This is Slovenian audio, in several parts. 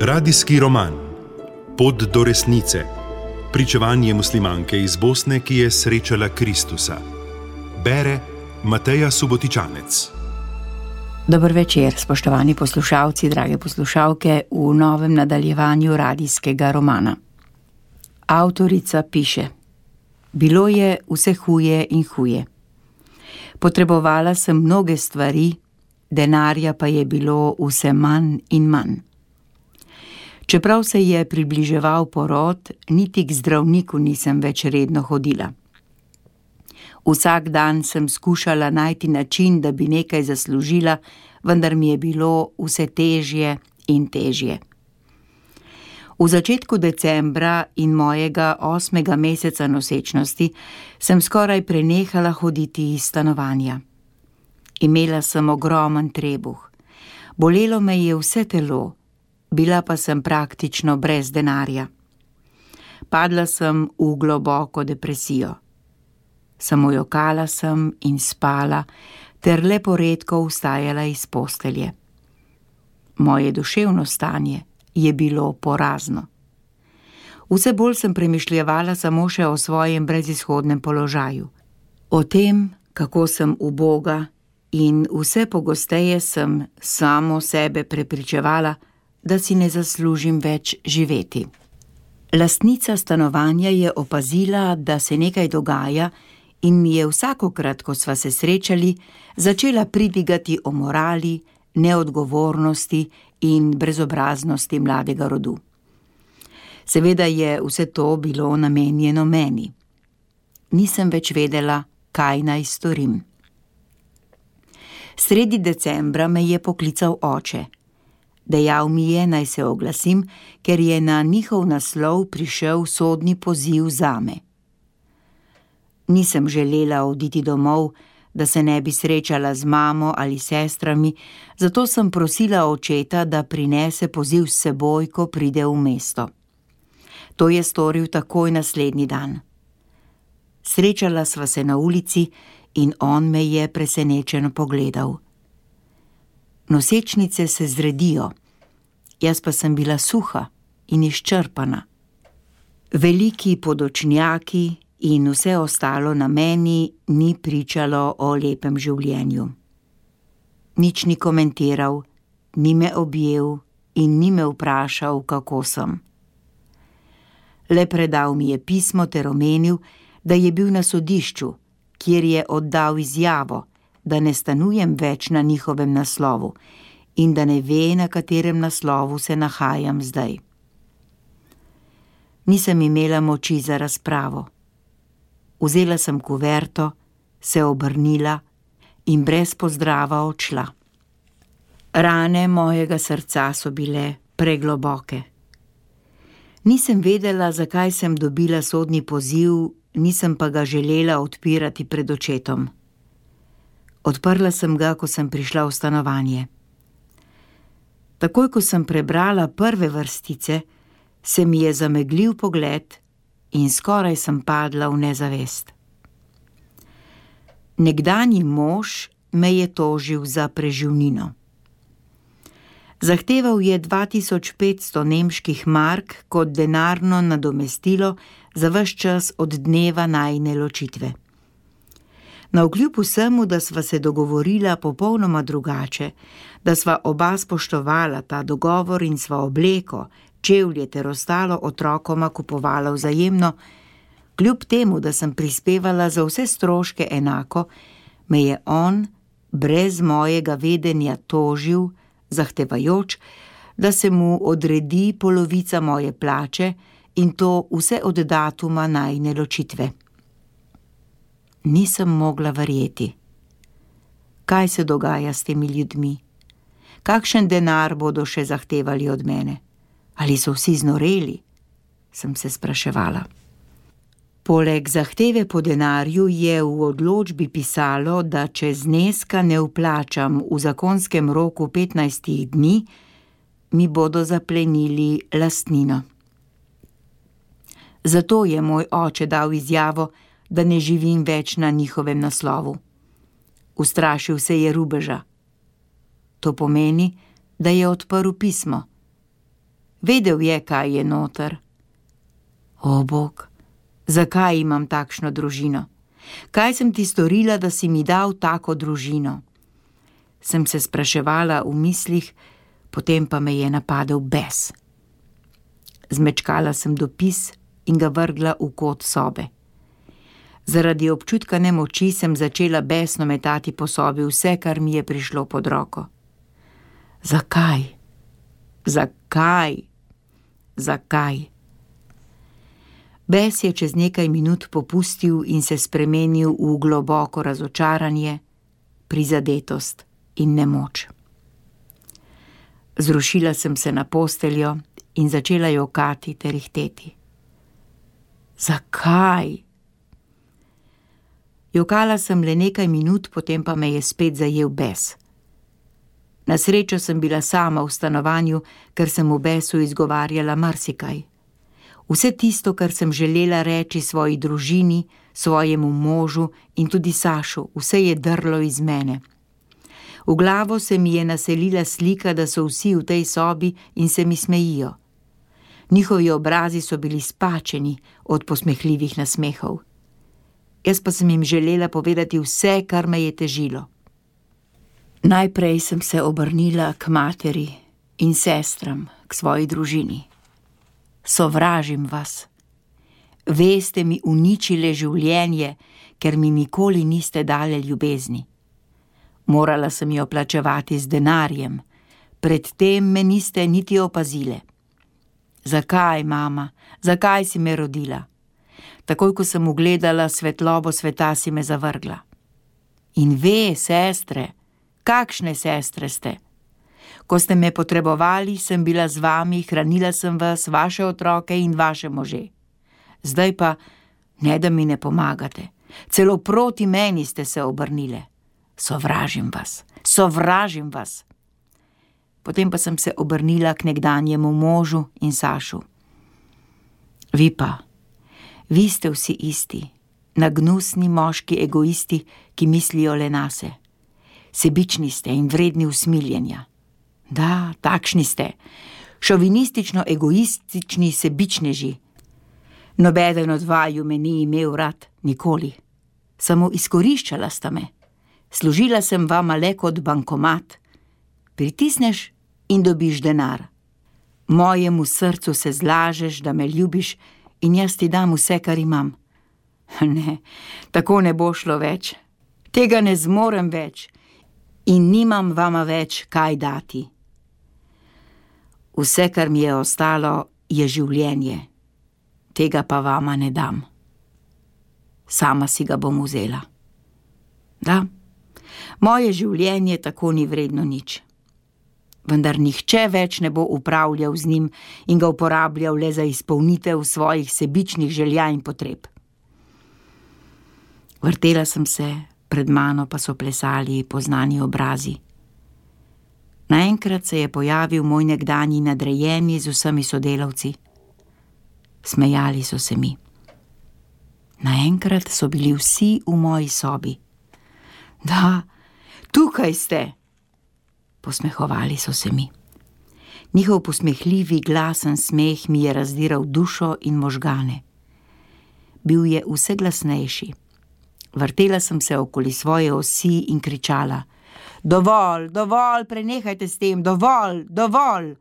Radijski roman Pot do resnice. Pričevanje muslimanke iz Bosne, ki je srečala Kristusa. Bere Mateja Subotičanec. Dober večer, spoštovani poslušalci, drage poslušalke, v novem nadaljevanju radijskega romana. Avtorica piše: Bilo je vse huje in huje. Potrebovala sem mnoge stvari, denarja pa je bilo vse manj in manj. Čeprav se je približeval porod, niti k zdravniku nisem več redno hodila. Vsak dan sem skušala najti način, da bi nekaj zaslužila, vendar mi je bilo vse težje in težje. V začetku decembra in mojega 8. meseca nosečnosti sem skoraj prenehala hoditi iz stanovanja. Imela sem ogromen trebuh. Bolelo me je vse telo, bila pa sem praktično brez denarja. Padla sem v globoko depresijo. Samo jokala sem in spala, ter le poredko vstajala iz postelje. Moje duševno stanje je bilo porazno. Vse bolj sem premišljevala samo še o svojem brezizhodnem položaju. O tem, kako sem uboga, in vse pogosteje sem samo sebe prepričevala, da si ne zaslužim več živeti. Lastnica stanovanja je opazila, da se nekaj dogaja, in mi je vsakokrat, ko sva se srečali, začela pridigati o morali, neodgovornosti in brezobraznosti mladega rodu. Seveda je vse to bilo namenjeno meni. Nisem več vedela, kaj naj storim. Sredi decembra me je poklical oče. Dejal mi je, naj se oglasim, ker je na njihov naslov prišel sodni poziv zame. Nisem želela oditi domov, da se ne bi srečala z mamo ali sestrami, zato sem prosila očeta, da prinese poziv s seboj, ko pride v mesto. To je storil takoj naslednji dan. Srečala sva se na ulici in on me je presenečeno pogledal. Nosečnice se zredijo, jaz pa sem bila suha in izčrpana. Veliki podočnjaki in vse ostalo na meni ni pričalo o lepem življenju. Nič ni komentiral, ni me objel in ni me vprašal, kako sem. Le predal mi je pismo ter omenil, da je bil na sodišču, kjer je oddal izjavo, da ne stanujem več na njihovem naslovu in da ne ve, na katerem naslovu se nahajam zdaj. Nisem imela moči za razpravo. Vzela sem kuverto, se obrnila in brez pozdrava odšla. Rane mojega srca so bile pregloboke. Nisem vedela, zakaj sem dobila sodni poziv, nisem pa ga želela odpirati pred očetom. Odprla sem ga, ko sem prišla v stanovanje. Takoj, ko sem prebrala prve vrstice, se mi je zameglil pogled in skoraj sem padla v nezavest. Nekdanji mož me je tožil za preživnino. Zahteval je 2500 nemških mark kot denarno nadomestilo za ves čas od dneva najine ločitve. Navkljub vsemu, da sva se dogovorila popolnoma drugače, da sva oba spoštovala ta dogovor in sva obleko, čevlje ter ostalo otrokoma kupovala vzajemno, kljub temu, da sem prispevala za vse stroške enako, me je on brez mojega vedenja tožil, zahtevajoč, da se mu odredi polovica moje plače in to vse od datuma najine ločitve. Nisem mogla verjeti. Kaj se dogaja s temi ljudmi? Kakšen denar bodo še zahtevali od mene? Ali so vsi znoreli? Sem se spraševala. Poleg zahteve po denarju je v odločbi pisalo, da če zneska ne vplačam v zakonskem roku 15 dni, mi bodo zaplenili lastnino. Zato je moj oče dal izjavo, da ne živim več na njihovem naslovu. Ustrašil se je rubeža. To pomeni, da je odprl pismo. Vedel je, kaj je noter. O, Bog, zakaj imam takšno družino? Kaj sem ti storila, da si mi dal tako družino? Sem se spraševala v mislih, potem pa me je napadel bes. Zmečkala sem dopis in ga vrgla v kot sobe. Zaradi občutka nemoči sem začela besno metati po sobi vse, kar mi je prišlo pod roko. Zakaj? Zakaj? Zakaj? Bes je čez nekaj minut popustil in se spremenil v globoko razočaranje, prizadetost in nemoč. Zrušila sem se na posteljo in začela jokati ter ihteti. Zakaj? Jokala sem le nekaj minut, potem pa me je spet zajel bes. Na srečo sem bila sama v stanovanju, ker sem v besu izgovarjala marsikaj. Vse tisto, kar sem želela reči svoji družini, svojemu možu in tudi Sašu, vse je drlo iz mene. V glavo se mi je naselila slika, da so vsi v tej sobi in se mi smejijo. Njihovi obrazi so bili spačeni od posmehljivih nasmehov. Jaz pa sem jim želela povedati vse, kar me je težilo. Najprej sem se obrnila k materi in sestram, k svoji družini. Sovražim vas. Ve ste mi uničile življenje, ker mi nikoli niste dali ljubezni. Morala sem jo plačevati z denarjem, predtem me niste niti opazile. Zakaj, mama, zakaj si me rodila? Takoj, ko sem ugledala svetlobo sveta, si me zavrgla. In ve, sestre, kakšne sestre ste? Ko ste me potrebovali, sem bila z vami, hranila sem vas, vaše otroke in vaše može. Zdaj pa, ne da mi ne pomagate, celo proti meni ste se obrnile. Sovražim vas, sovražim vas. Potem pa sem se obrnila k nekdanjemu možu in Sašu. Vi pa, vi ste vsi isti, nagnusni moški egoisti, ki mislijo le nase. Sebični ste in vredni usmiljenja. Da, takšni ste, šovinistično-egoistični sebičneži. Nobeden od vaju me ni imel rad, nikoli. Samo izkoriščala sta me. Služila sem vama le kot bankomat. Pritisneš in dobiš denar. Mojemu srcu se zlažeš, da me ljubiš in jaz ti dam vse, kar imam. Ne, tako ne bo šlo več. Tega ne zmorem več in nimam vama več kaj dati. Vse, kar mi je ostalo, je življenje. Tega pa vama ne dam. Sama si ga bom vzela. Da, moje življenje tako ni vredno nič. Vendar nihče več ne bo upravljal z njim in ga uporabljal le za izpolnitev svojih sebičnih želja in potreb. Vrtela sem se, pred mano pa so plesali poznani obrazi. Naenkrat se je pojavil moj nekdanji nadrejeni z vsemi sodelavci. Smejali so se mi. Naenkrat so bili vsi v moji sobi. Da, tukaj ste! Posmehovali so se mi. Njihov posmehljivi, glasen smeh mi je razdiral dušo in možgane. Bil je vse glasnejši. Vrtela sem se okoli svoje osi in kričala: Dovolj, dovolj, prenehajte s tem, dovolj, dovolj!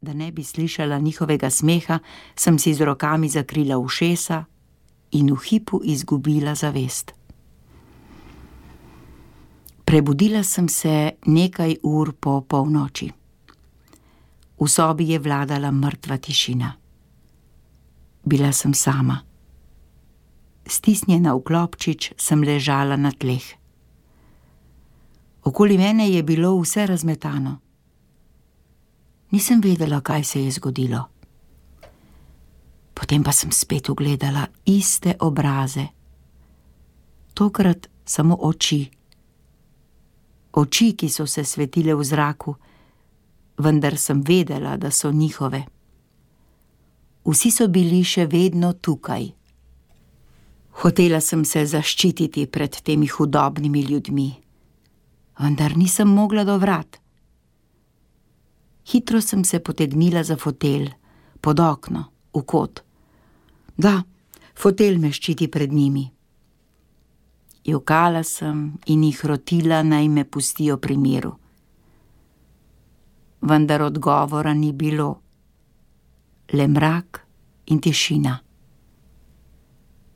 Da ne bi slišala njihovega smeha, sem si z rokami zakrila ušesa in v hipu izgubila zavest. Prebudila sem se nekaj ur po polnoči. V sobi je vladala mrtva tišina. Bila sem sama. Stisnjena v klopčič sem ležala na tleh. Okoli mene je bilo vse razmetano. Nisem vedela, kaj se je zgodilo. Potem pa sem spet ugledala iste obraze. Tokrat samo oči. Oči, ki so se svetile v zraku, vendar sem vedela, da so njihove. Vsi so bili še vedno tukaj. Hotela sem se zaščititi pred temi hudobnimi ljudmi, vendar nisem mogla do vrat. Hitro sem se potegnila za fotelj, pod okno, v kot. Da, fotelj me ščiti pred njimi. Jokala sem in jih rotila, naj me pustijo pri miru. Vendar odgovora ni bilo. Le mrak in tišina.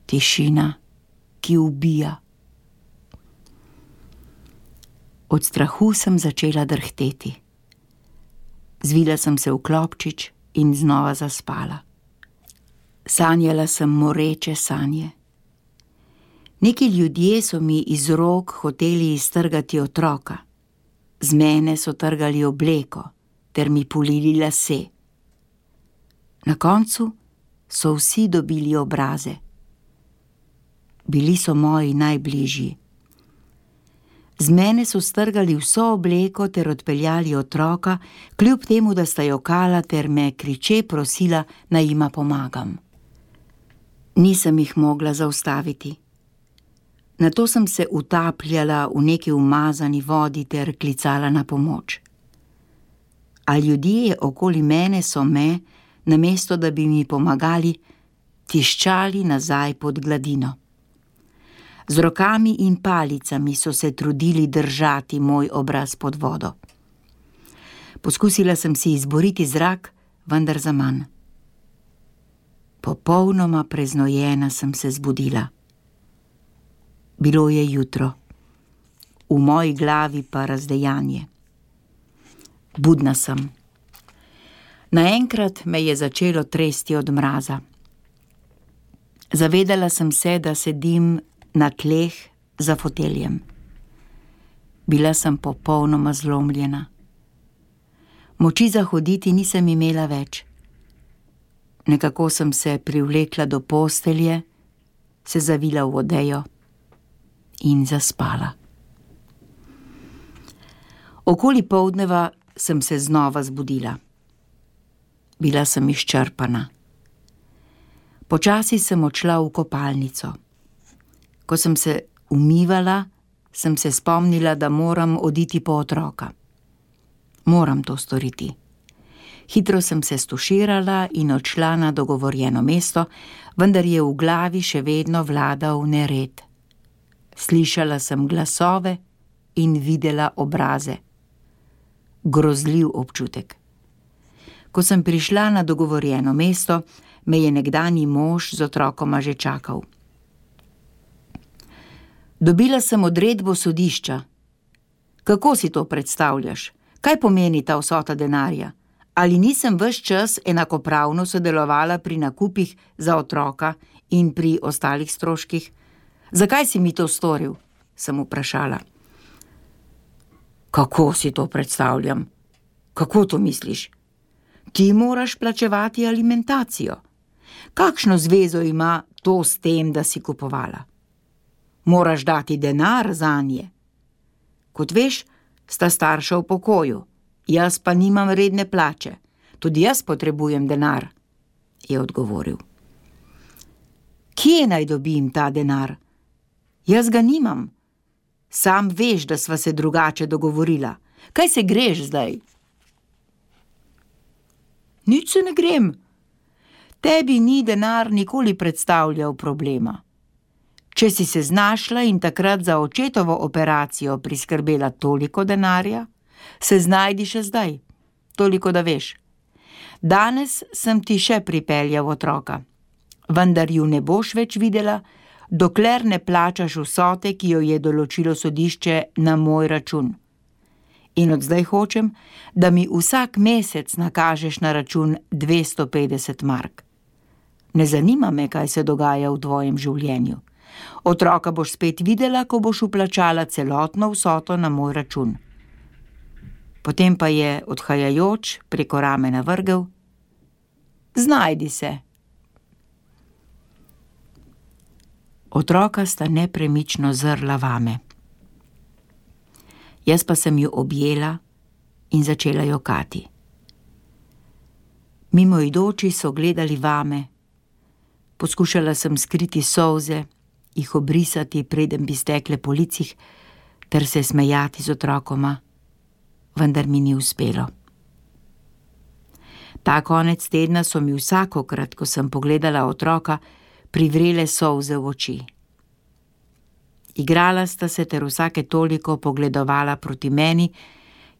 Tišina, ki ubija. Od strahu sem začela drhteti. Zvila sem se v klobčič in znova zaspala. Sanjala sem moreče sanje. Neki ljudje so mi iz rok hoteli iztrgati otroka. Z mene so trgali obleko ter mi pulili lase. Na koncu so vsi dobili obraze. Bili so moji najbližji. Z mene so strgali vso obleko ter odpeljali otroka, kljub temu, da sta jokala ter me kriče prosila, naj jima pomagam. Nisem jih mogla zaustaviti. Nato sem se utapljala v neki umazani vodi ter klicala na pomoč. A ljudje okoli mene so me, namesto da bi mi pomagali, tiščali nazaj pod gladino. Z rokami in palicami so se trudili držati moj obraz pod vodo. Poskusila sem si izboriti zrak, vendar zaman. Popolnoma preznojena sem se zbudila. Bilo je jutro, v moji glavi pa razdejanje. Budna sem. Naenkrat me je začelo tresti od mraza. Zavedala sem se, da sedim na tleh za foteljem. Bila sem popolnoma zlomljena. Moči za hoditi nisem imela več. Nekako sem se privlekla do postelje, se zavila v odejo in zaspala. Okoli poldneva sem se znova zbudila. Bila sem izčrpana. Počasi sem odšla v kopalnico. Ko sem se umivala, sem se spomnila, da moram oditi po otroka. Moram to storiti. Hitro sem se stuširala in odšla na dogovorjeno mesto, vendar je v glavi še vedno vladal nered. Slišala sem glasove in videla obraze. Grozljiv občutek. Ko sem prišla na dogovorjeno mesto, me je nekdanji mož z otrokoma že čakal. Dobila sem odredbo sodišča. Kako si to predstavljaš? Kaj pomeni ta vsota denarja? Ali nisem ves čas enakopravno sodelovala pri nakupih za otroka in pri ostalih stroških? Zakaj si mi to storil? Sem vprašala. Kako si to predstavljam? Kako to misliš? Ti moraš plačevati alimentacijo. Kakšno zvezo ima to s tem, da si kupovala? Moraš dati denar zanje. Kot veš, sta starša v pokoju, jaz pa nimam redne plače. Tudi jaz potrebujem denar, je odgovoril. Kje naj dobim ta denar? Jaz ga nimam. Sam veš, da sva se drugače dogovorila. Kaj se greš zdaj? Nič se ne grem. Tebi ni denar nikoli predstavljal problema. Če si se znašla in takrat za očetovo operacijo priskrbela toliko denarja, se znajdi še zdaj, toliko da veš. Danes sem ti še pripeljal otroka, vendar ju ne boš več videla, dokler ne plačaš vsote, ki jo je določilo sodišče na moj račun. In od zdaj hočem, da mi vsak mesec nakažeš na račun 250 mark. Ne zanima me, kaj se dogaja v tvojem življenju. Otroka boš spet videla, ko boš vplačala celotno vsoto na moj račun. Potem pa je, odhajajoč, preko ramena vrgel: Znajdi se. Otroka sta nepremično zrla vame. Jaz pa sem ju objela in začela jokati. Mimoidoči so gledali vame. Poskušala sem skriti solze jih obrisati, preden bi stekle po licih, ter se smejati z otrokoma, vendar mi ni uspelo. Ta konec tedna so mi vsakokrat, ko sem pogledala otroka, privrele solze v oči. Igrala sta se ter vsake toliko pogledovala proti meni,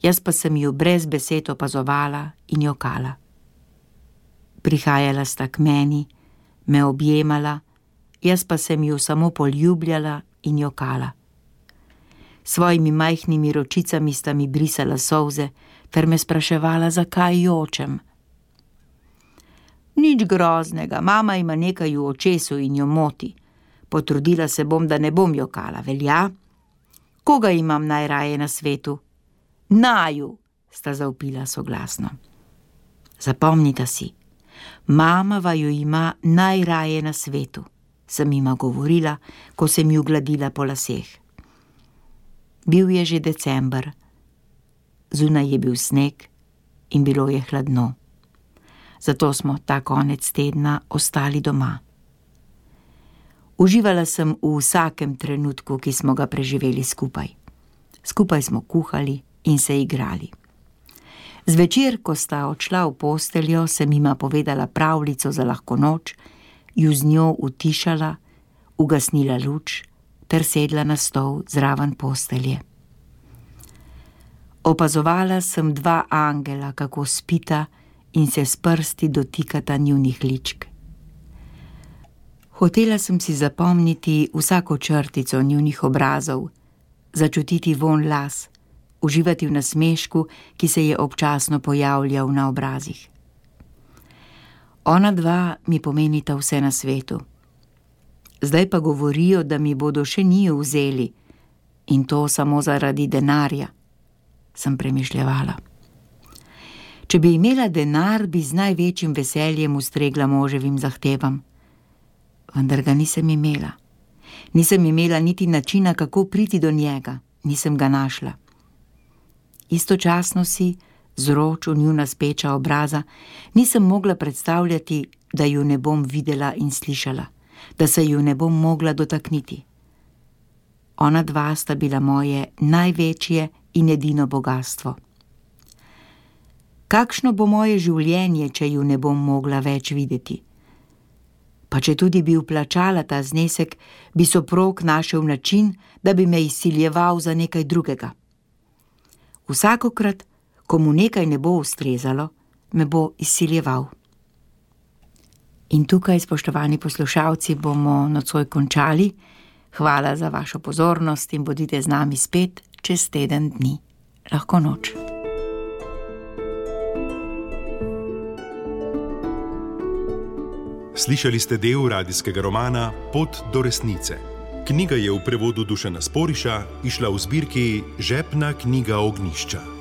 jaz pa sem ju brez besed opazovala in jokala. Prihajala sta k meni, me objemala, jaz pa sem ju samo poljubljala in jokala. Svojimi majhnimi ročicami sta mi brisala solze ter me spraševala, zakaj jočem. Nič groznega, mama ima nekaj v očesu in jo moti. Potrudila se bom, da ne bom jokala, velja? Koga imam najraje na svetu? Naju, sta zavpila soglasno. Zapomnita si, mama vaju ima najraje na svetu, sem jima govorila, ko sem ju gladila po laseh. Bil je že december, zunaj je bil sneg in bilo je hladno. Zato smo ta konec tedna ostali doma. Uživala sem v vsakem trenutku, ki smo ga preživeli skupaj. Skupaj smo kuhali in se igrali. Zvečer, ko sta odšla v posteljo, sem jima povedala pravljico za lahko noč, ju z njo utišala, ugasnila luč ter sedla na stol zraven postelje. Opazovala sem dva angela, kako spita in se s prsti dotikata njunih ličk. Hotela sem si zapomniti vsako črtico njunih obrazov, začutiti vonj las, uživati v nasmešku, ki se je občasno pojavljal na obrazih. Ona dva mi pomenita vse na svetu. Zdaj pa govorijo, da mi bodo še njiju vzeli in to samo zaradi denarja, sem premišljevala. Če bi imela denar, bi z največjim veseljem ustregla moževim zahtevam. Vendar ga nisem imela. Nisem imela niti načina, kako priti do njega. Nisem ga našla. Istočasno si, z roč v njuna speča obraza, nisem mogla predstavljati, da ju ne bom videla in slišala, da se ju ne bom mogla dotakniti. Ona dva sta bila moje največje in edino bogastvo. Kakšno bo moje življenje, če ju ne bom mogla več videti? Pa če tudi bi vplačala ta znesek, bi soprog našel način, da bi me izsiljeval za nekaj drugega. Vsakokrat, ko mu nekaj ne bo ustrezalo, me bo izsiljeval. In tukaj, spoštovani poslušalci, bomo nocoj končali. Hvala za vašo pozornost in bodite z nami spet čez teden dni. Lahko noč. Slišali ste del radijskega romana Pot do resnice. Knjiga je v prevodu Dušana Sporiša izšla v zbirki Žepna knjiga Ognjišča.